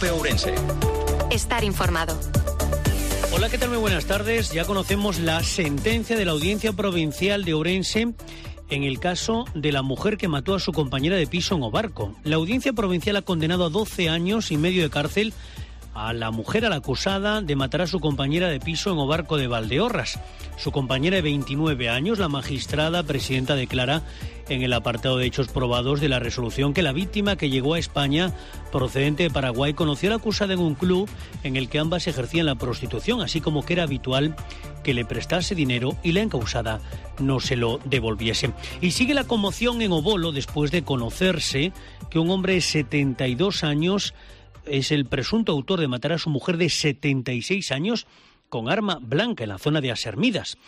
COPE Ourense. Estar informado. Hola, ¿qué tal? Muy buenas tardes. Ya conocemos la sentencia de la Audiencia Provincial de Ourense en el caso de la mujer que mató a su compañera de piso en Obarco. La Audiencia Provincial ha condenado a 12 años y medio de cárcel a la mujer, a la acusada de matar a su compañera de piso en Obarco de Valdeorras. Su compañera de 29 años, la magistrada presidenta declara en el apartado de hechos probados de la resolución que la víctima, que llegó a España procedente de Paraguay, conoció a la acusada en un club en el que ambas ejercían la prostitución, así como que era habitual que le prestase dinero y la encausada no se lo devolviese. Y sigue la conmoción en Obolo después de conocerse que un hombre de 72 años es el presunto autor de matar a su mujer de 76 años con arma blanca en la zona de Asermidas.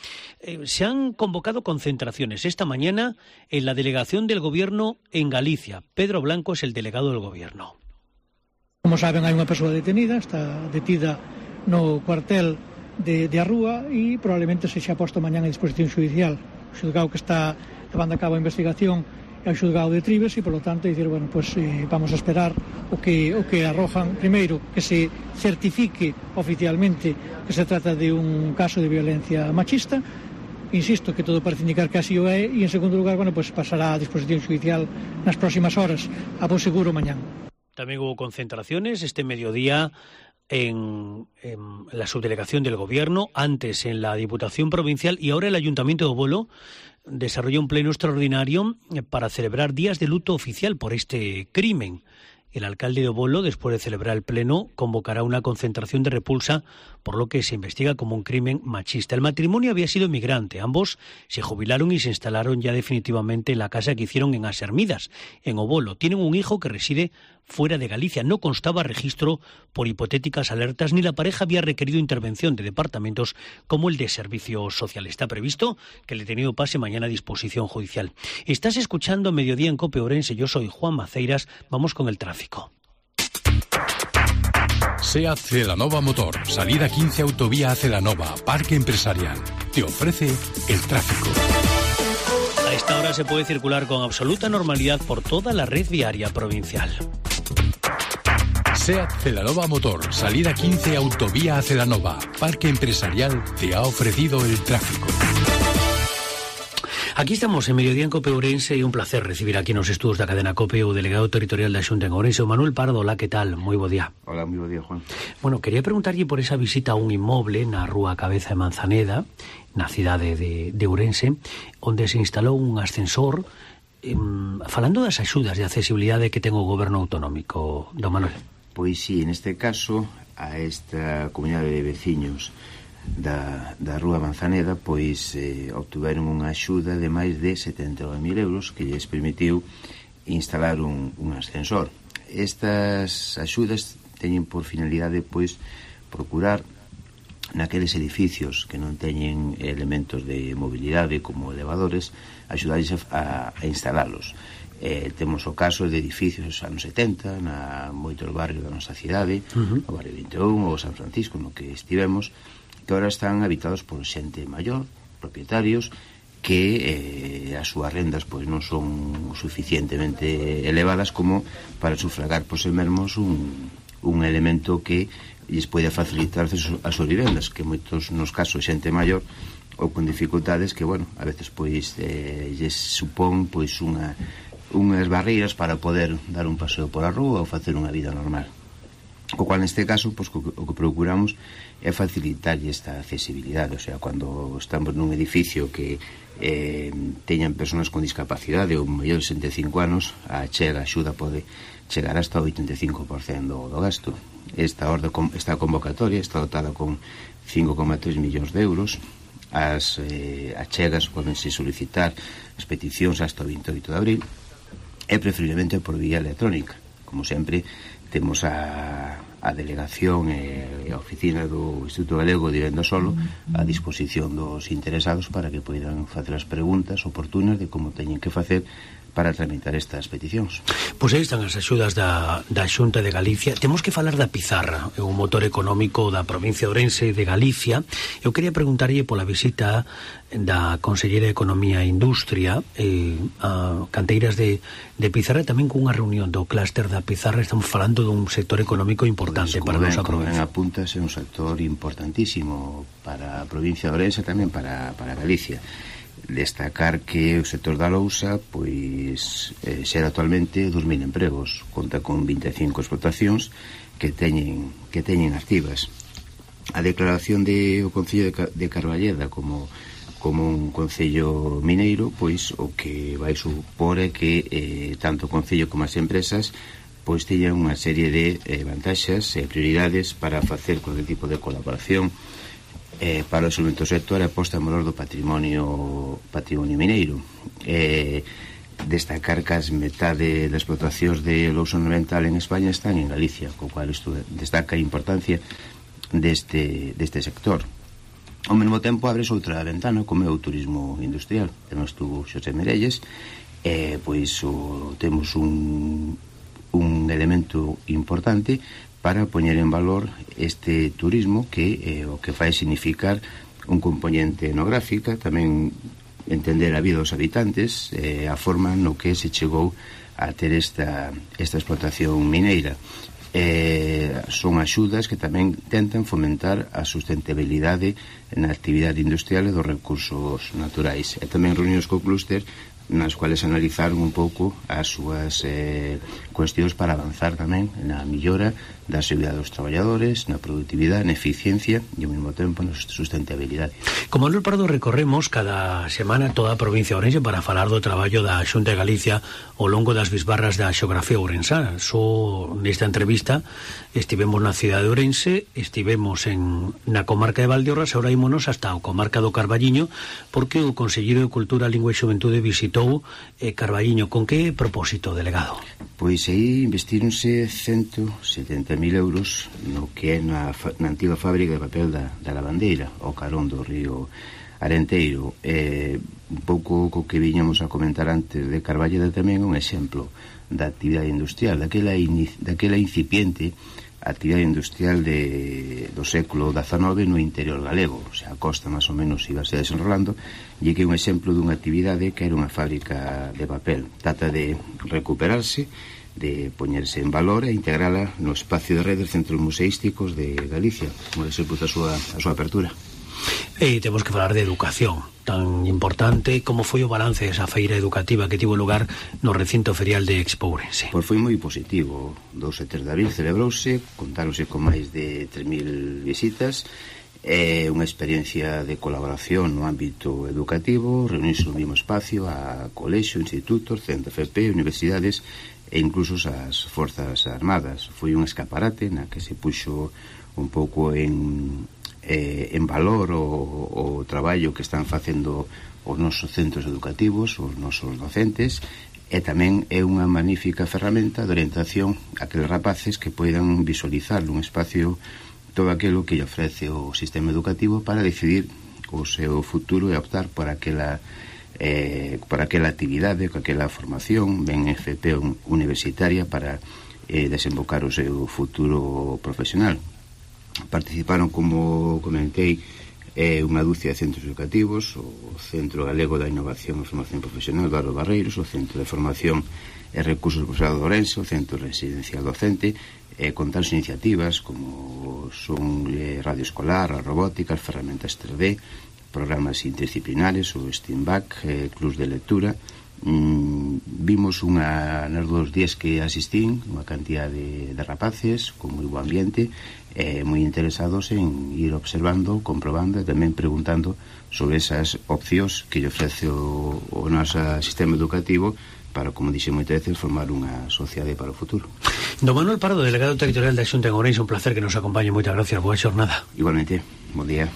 Se han convocado concentraciones esta mañana en la delegación del Gobierno en Galicia. Pedro Blanco es el delegado del Gobierno. Como saben, hai unha persoa detenida, está detida no cuartel de Arrúa e probablemente se xa posto mañán a disposición judicial. O xulgado que está levando a cabo a investigación é o xulgado de Trives e, polo tanto, dicir, bueno, pues, vamos a esperar o que arrojan. Primeiro, que se certifique oficialmente que se trata de un caso de violencia machista. Insisto que todo parece indicar que así o é, e, en segundo lugar, bueno, pues pasará a disposición judicial nas próximas horas, a bo seguro mañán. También hubo concentraciones este mediodía en la subdelegación del Gobierno, antes en la Diputación Provincial y ahora el Ayuntamiento de Obolo desarrolló un pleno extraordinario para celebrar días de luto oficial por este crimen. El alcalde de Obolo, después de celebrar el pleno, convocará una concentración de repulsa por lo que se investiga como un crimen machista. El matrimonio había sido migrante. Ambos se jubilaron y se instalaron ya definitivamente en la casa que hicieron en Asermidas, en Obolo. Tienen un hijo que reside fuera de Galicia. No constaba registro por hipotéticas alertas, ni la pareja había requerido intervención de departamentos como el de Servicios Sociales. Está previsto que el detenido pase mañana a disposición judicial. Estás escuchando Mediodía en COPE Ourense. Yo soy Juan Maceiras. Vamos con el tráfico. SEAT Celanova Motor, salida 15 Autovía Celanova, Parque Empresarial. Te ofrece el tráfico. A esta hora se puede circular con absoluta normalidad por toda la red viaria provincial. SEAT Celanova Motor, salida 15 Autovía Celanova, Parque Empresarial, te ha ofrecido el tráfico. Aquí estamos en Mediodía en COPE Ourense y un placer recibir aquí en los estudios de la cadena COPE o delegado territorial da Xunta en Ourense, Manuel Pardo. Hola, ¿qué tal? Muy bo día. Hola, muy bo día, Juan. Bueno, quería preguntarlle por esa visita a un inmoble na rúa Cabeza de Manzaneda, na cidade de Ourense, onde se instalou un ascensor, falando das axudas de accesibilidade que ten o goberno autonómico, don Manuel. Pois sí, neste caso, a esta comunidade de veciños da rúa Manzaneda, pois obtuveron unha axuda de máis de 79.000 euros que lles permitiu instalar un ascensor. Estas axudas teñen por finalidade, pois, procurar naqueles edificios que non teñen elementos de mobilidade como elevadores, axudarles a instalalos. Temos o caso de edificios dos anos 70 na moitos barrios da nosa cidade, o barrio 21 ou San Francisco, no que estivemos, que ahora están habitados por xente maior, propietarios, que as súas rendas pois non son suficientemente elevadas como para sufragar por sí mesmos un elemento que lles pode facilitar as súas vivendas, que moitos nos casos xente maior ou con dificultades que, bueno, a veces pois lles supón pois unhas barreiras para poder dar un paseo por a rúa ou facer unha vida normal. O cual, neste caso, pois, o que procuramos é facilitar esta accesibilidade. O sea, cando estamos nun edificio que teñan persoas con discapacidade ou maior de 65 anos, a axuda pode chegar hasta o 85% do gasto. Esta convocatoria está dotada con 5,3 millóns de euros. As achegas podense solicitar as peticións hasta o 28 de abril e preferiblemente por vía electrónica. Como sempre, temos a delegación e a oficina do Instituto Galego de Vivenda Solo a disposición dos interesados para que poidan facer as preguntas oportunas de como teñen que facer para tramitar estas peticións. Pois aí están as axudas da Xunta de Galicia. Temos que falar da pizarra, é un motor económico da provincia de Ourense de Galicia. Eu quería preguntarlle pola visita da Conselleira de Economía e Industria a canteiras de pizarra, tamén cunha reunión do clúster da pizarra. Estamos falando dun sector económico importante para a nosa provincia. Apuntas, é un sector importantísimo para a provincia de Ourense, tamén para Galicia. Destacar que o sector da lousa pois xera actualmente 2.000 empregos, conta con 25 explotacións que teñen activas. A declaración do Concello de Carballeda como un concello mineiro, pois o que vai supor é que tanto o concello como as empresas pois teñan unha serie de vantaxes e prioridades para facer cualquier tipo de colaboración para o desenvolvemento do sector e a posta en valor do patrimonio mineiro. Destacar que as metade das explotacións de lousa ornamental en España están en Galicia, co cual isto destaca a importancia deste sector. Ao mesmo tempo abres outra ventana, como é o turismo industrial. Temos tú, Xosé Merelles, pois temos un elemento importante para poñer en valor este turismo que o que fai significar un componente etnográfica, tamén entender a vida dos habitantes, a forma no que se chegou a ter esta explotación mineira. Son axudas que tamén tentan fomentar a sustentabilidade na actividade industrial e dos recursos naturais. E tamén reunións co clúster nas cuales analizaron un pouco as súas cuestións para avanzar tamén na millora da seguridade dos traballadores, na productividade, na eficiencia e ao mesmo tempo na sustentabilidade. Como Manuel Pardo recorremos cada semana toda a provincia de Ourense para falar do traballo da Xunta de Galicia ao longo das bisbarras da xeografía ourensana. Nesta entrevista estivemos na cidade de Ourense, estivemos na comarca de Valdeorras, agora ímonos hasta a comarca do Carballiño, porque o Conselleiro de Cultura, Lingua e Xuventude visitou Carballiño. Con que propósito, delegado? Pois aí investíronse 170.000 euros no que é na antiga fábrica de papel da Lavandeira, ao carón do río Arenteiro. Un pouco co que viñamos a comentar antes de Carballeda, tamén un exemplo da actividade industrial, daquela incipiente actividade industrial do século XIX no interior galego. O sea, a costa máis ou menos iba a ser desenrolando, e que é un exemplo dunha actividade que era unha fábrica de papel. Trata de recuperarse, de poñerse en valor e integrala no espacio de redes centros museísticos de Galicia, como se puso a súa apertura. E temos que falar de educación, tan importante. Como foi o balance desa feira educativa que tivo lugar no recinto ferial de Expo Ourense? Pois foi moi positivo. 2 e 3 de abril celebrouse, contáronse con máis de 3.000 visitas. É unha experiencia de colaboración no ámbito educativo, reunirse no mesmo espacio a colexio, institutos, centros FP, universidades e incluso as Forzas Armadas. Foi un escaparate na que se puxo un pouco en valor o traballo que están facendo os nosos centros educativos, os nosos docentes, e tamén é unha magnífica ferramenta de orientación a aqueles rapaces que poidan visualizar nun espacio todo aquilo que lle ofrece o sistema educativo para decidir o seu futuro e optar por aquela actividade, por aquela formación ben FP universitaria para desembocar o seu futuro profesional. Participaron, como comentei, unha dúcia de centros educativos, o Centro Galego da Innovación e Formación Profesional Eduardo Barreiros, o Centro de Formación e Recursos Profesional de Ourense, o Centro Residencial Docente, con tales iniciativas como son radio escolar, a robótica, as ferramentas 3D, programas interdisciplinares, o STEAMBAC, clubs de lectura. Vimos nos 2 días que asistín unha cantidad de rapaces con moi bo ambiente, moi interesados en ir observando, comprobando e tamén preguntando sobre esas opcións que lle ofrece o noso sistema educativo para, como dixe moitas veces, formar unha sociedade para o futuro. Don Manuel Pardo, delegado territorial da Xunta en Ourense, un placer que nos acompañe. Moitas gracias, boa xornada. Igualmente, bon día.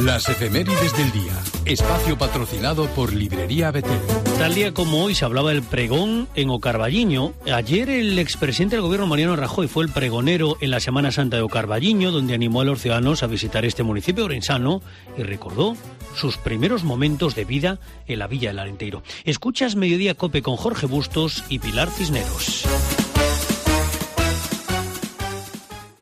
Las efemérides del día. Espacio patrocinado por Librería Betel. Tal día como hoy se hablaba del pregón en O Carballiño. Ayer el expresidente del gobierno, Mariano Rajoy, fue el pregonero en la Semana Santa de O Carballiño, donde animó a los ciudadanos a visitar este municipio orensano y recordó sus primeros momentos de vida en la Villa del Arenteiro. Escuchas Mediodía Cope con Jorge Bustos y Pilar Cisneros.